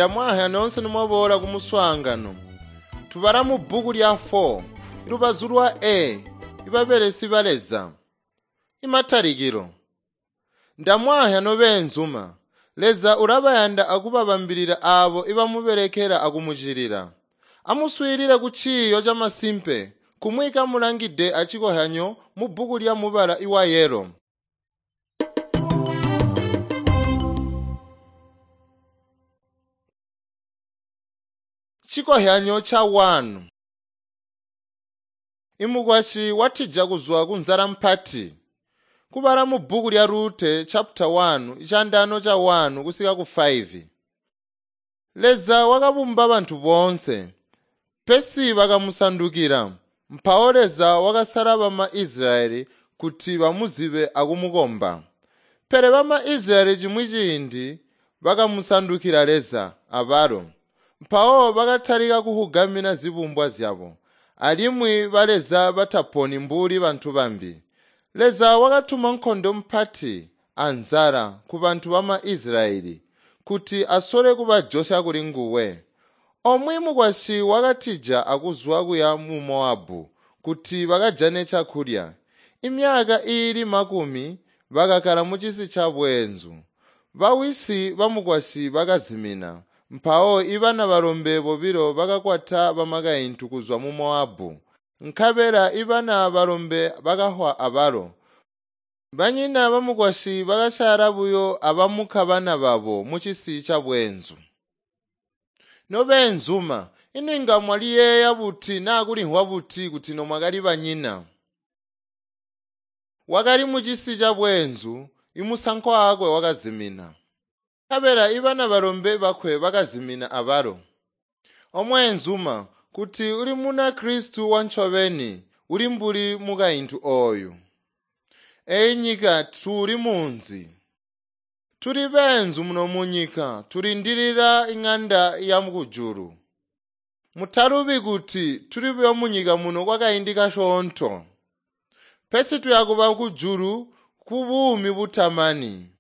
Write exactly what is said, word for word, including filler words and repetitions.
Ndamwahya nonse nimwaboola ku muswaangano. Tubala mu bbuku lya four, lubazu lwa A, ibabelesi ba Leza. Imatalikilo. Ndamwahya nobeenzuma. Leza ulabayanda akubabambilila aabo ibamubelekela akumucilila. Amuswiilile ku ciiyo camasimpe kumwi kamulangide acikohyanyo mu bbuku lya mubala iwa yelo. Cikohyanyo ca one. Imukwasyi watija kuzwa ku nzala mpati. Kubala mu bbuku lya Rute chapter one, icandano ca one kusika ku five. Leza wakabumba bantu boonse, pesi bakamusandukila. Mpawo Leza wakasala bama Israyeli kuti bamuzibe akumukomba. Pele bama Israyeli cimwi ciindi bakamusandukila Leza abalo. Mpawo bakatalika kuhugamina zibumbwa zyabo, alimwi baleza bataponi mbuli bantu bambi. Leza wakatuma nkondo mpati anzala ku bantu bama Israyeli kuti asole kubajosya kuli nguwe. Omwe mukwasyi wakatija akuzwa kuya mu Moabu kuti bakajane cakulya. Imyaka iili makumi bakakala mucisi ca bweenzu. Bawisi bamukwasyi bakazimina. Mpawo ibana balombe bobilo bakakwata bamakaintu kuzwa mu Moabu. Nkabela ibana balombe bakahwa abalo. Banyina bamukwasyi bakasyaala buyo abamuka bana babo mucisi ca bweenzu. Nobeenzuma, ininga mwaliyeeya buti naa kulimvwa buti kuti nomwakali banyina? Wakali mucisi ca bweenzu, imusankwa wakwe wakazimina. Nkabela ibana balombe bakwe bakazimina abalo. Omweenzuma, kuti uli muna Kristu wancobeni, uli mbuli mukaintu ooyu. Eyi nyika tuli munzi. Tuli beenzu muno munyika, tulindilila ing'anda ya kujulu. Mutalubi kuti tuli buyo munyika muno kwakaindi kasyoonto. Pesi tuyakuba kujulu ku buumi butamani.